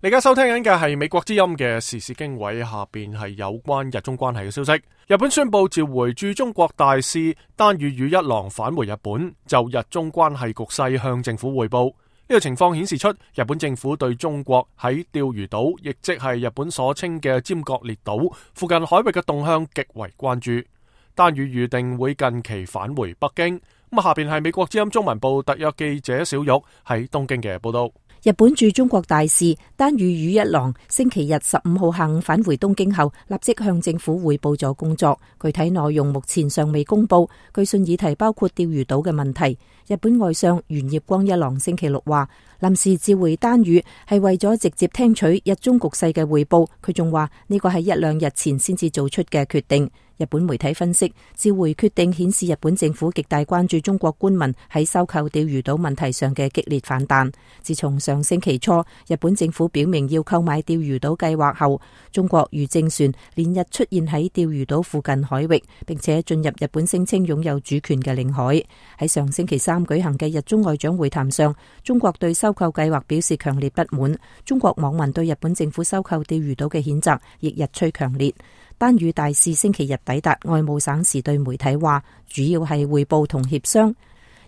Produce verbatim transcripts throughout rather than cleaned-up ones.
你而家收聽緊嘅係美國之音嘅時事經緯，下邊係有關日中關係嘅消息。日本宣布召回駐中國大使丹羽羽一郎返回日本，就日中關係局勢向政府匯報。呢個情況顯示出日本政府對中國喺釣魚島，亦即係日本所稱嘅尖閣列島附近海域嘅動向極為關注。丹羽預定會近期返回北京。咁下邊係美國之音中文部特約記者小玉喺東京嘅報道。日本駐中國大使丹羽羽一郎星期日十五號下午返回東京後，立即向政府匯報咗工作，具體內容目前尚未公布。據信議題包括釣魚島嘅問題。日本外相猿葉光一郎星期六話，臨時召回丹羽係為咗直接聽取日中局勢嘅匯報。佢仲話呢個係一兩日前先至做出嘅決定。日本媒體分析，召回決定顯示日本政府極大關注中國官民喺收購釣魚島問題上嘅激烈反彈。自從上星期初日本政府表明要購買釣魚島計劃後，中國漁政船連日出現喺釣魚島附近海域，並且進入日本聲稱擁有主權嘅領海。喺上星期三舉行嘅日中外長會談上，中國對收購計劃表示強烈不滿。中國網民對日本政府收購釣魚島嘅譴責亦日趨強烈。丹羽大使星期日抵達外務省時對媒體話，主要係匯報同協商。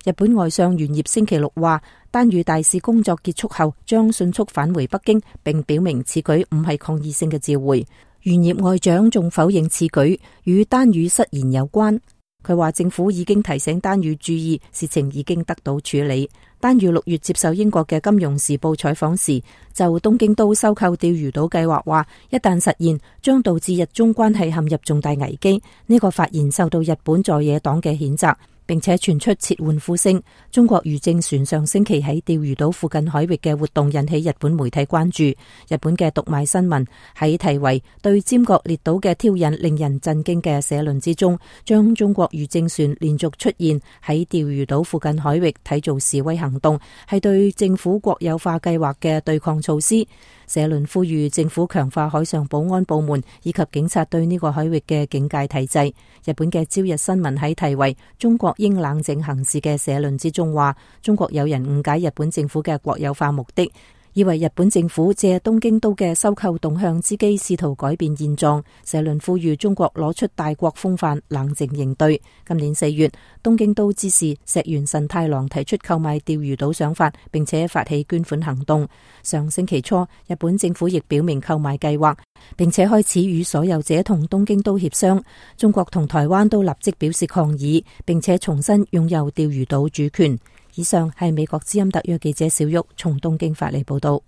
日本外相猿葉星期六話，丹羽大使工作結束後將迅速返回北京，並表明此舉唔係抗議性嘅召回。猿葉外長仲否認此舉與丹羽失言有關。佢話政府已經提醒丹羽注意，事情已經得到處理。丹羽六月接受英國嘅《金融時報》採訪時，就東京都收購釣魚島計劃話，一旦實現，將導致日中關係陷入重大危機。呢個發言受到日本在野黨嘅譴責，並且傳出撤換呼聲。中國漁政船上星期喺釣魚島附近海域嘅活動引起日本媒體關注。日本嘅讀賣新聞喺題為對尖閣列島嘅挑釁令人震驚嘅社論之中，將中國漁政船連續出現喺釣魚島附近海域睇做示威行動，係對政府國有化計劃嘅對抗措施。社論呼籲政府強化海上保安部門以及警察對呢個海域嘅警戒體制。日本嘅朝日新聞喺題為中國應冷靜行事嘅社論之中話，中國有人誤解日本政府嘅國有化目的，以為日本政府借東京都嘅收購動向之機試圖改變現狀。社論呼籲中國攞出大國風範，冷靜應對。今年四月，東京都知事石原慎太郎提出購買釣魚島想法，並且發起捐款行動。上星期初，日本政府亦表明購買計劃，並且開始與所有者同東京都協商。中國同台灣都立即表示抗議，並且重新擁有釣魚島主權。以上係美國之音特約記者小玉從東京發嚟報道。